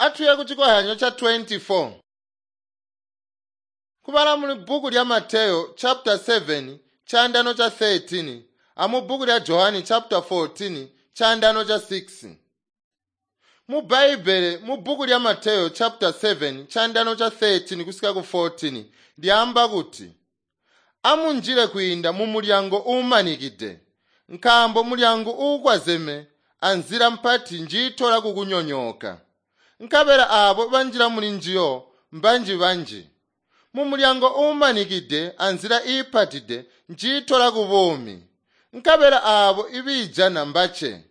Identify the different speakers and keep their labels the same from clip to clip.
Speaker 1: Atuye ku chikohyanyo cha 24. Kubala mu bhuku lya Mateyo chapter 7 chandano cha 13 amu bhuku lya Johani chapter 14 chandano cha 6. Mu Bhaibhele mu bhuku lya Mateyo chapter 7 chandano cha 13 kusika ku 14 lyamba kuti amunjile kuyinda mu mulyango uumanikide nkambo mulyango uukwazeme anzila mpati njiitola kukunyonyooka nkabela aabo banjila muli njiyo mbanji-banji mu mulyango uumanikide anzila iipatide njiitola ku buumi nkabela aabo ibiijana mbace.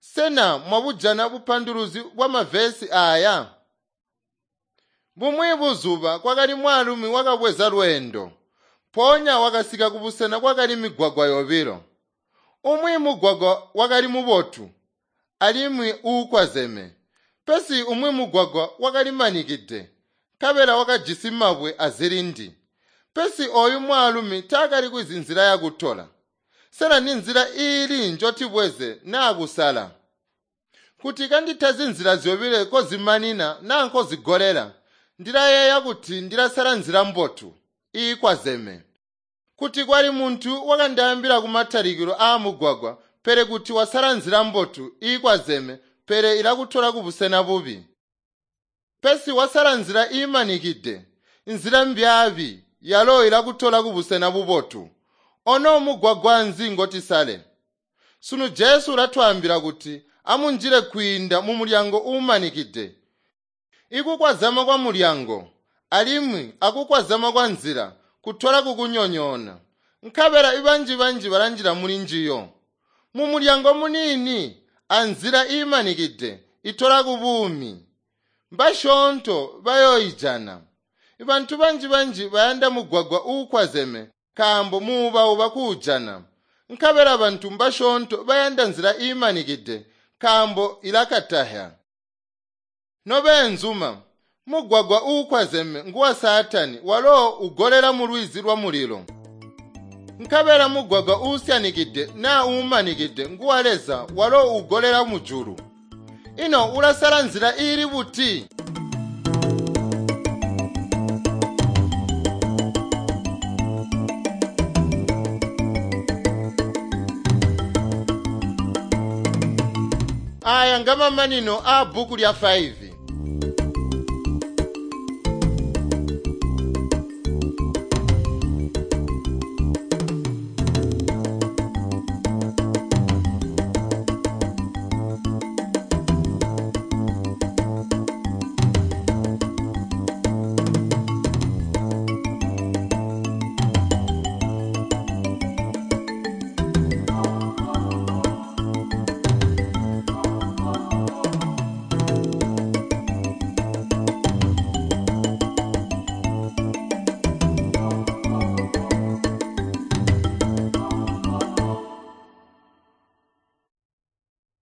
Speaker 1: Sena mwabujana bupanduluzi bwa mavesi aya? Bumwi buzuba kwakali mwaalumi wakabweza lweendo mpoonya wakasika kubusena kwakali migwagwa yobilo. Umwi mugwagwa wakali mubotu alimwi uukwazeme, pesi umwi mugwagwa wakali manikide nkabela wakajisi mabwe azilindi. Pesi ooyu mwaalumi taakali kwizi nzila yakutola. Sena ninzila iili njotibweze naa kusala? Kuti kanditazi nzila zyobile kozimanina naa nkozigolela, ndilayeeya kuti ndilasala nzila mbotu iikwazeme. Kuti kwali muntu wakandaambila kumatalikilo aamugwagwa pele kuti wasala nzila mbotu iikwazeme pele ilakutola kubusena bubi. Pesi wasala nzila iimanikide, nzila mbyaabi yalo ilakutola kubusena bubotu. Ono mugwagwa nzi ngotisale? Sunu Jesu ulatwaambila kuti amunjile kwiinda mu mulyango uumanikide. Ikukwazama kwa mulyango alimwi akukwazama kwa nzila kutola kukunyonyoona. Nkabela ibanji-banji balanjila muli njiyo. Mu mulyango muniini anzila iimanikide itola ku buumi. Mbasyoonto bayooijana. Bantu banji-banji bayanda mugwagwa uukwazeme nkaambo muubauba kuujana. Nkabela bantu mbasyoonto bayanda nzila iimanikide nkaambo ilakatahya. Nobeenzuma, mugwagwa uukwazeme nguwa Saatani walo ugolela mu lwizi lwa mulilo. Nkabela mugwagwa uusyanikide naa uumanikide nguwa Leza walo ugolela mujulu. Ino ulasala nzila iili buti? Aya ngamamanino aa bhuku lya 5.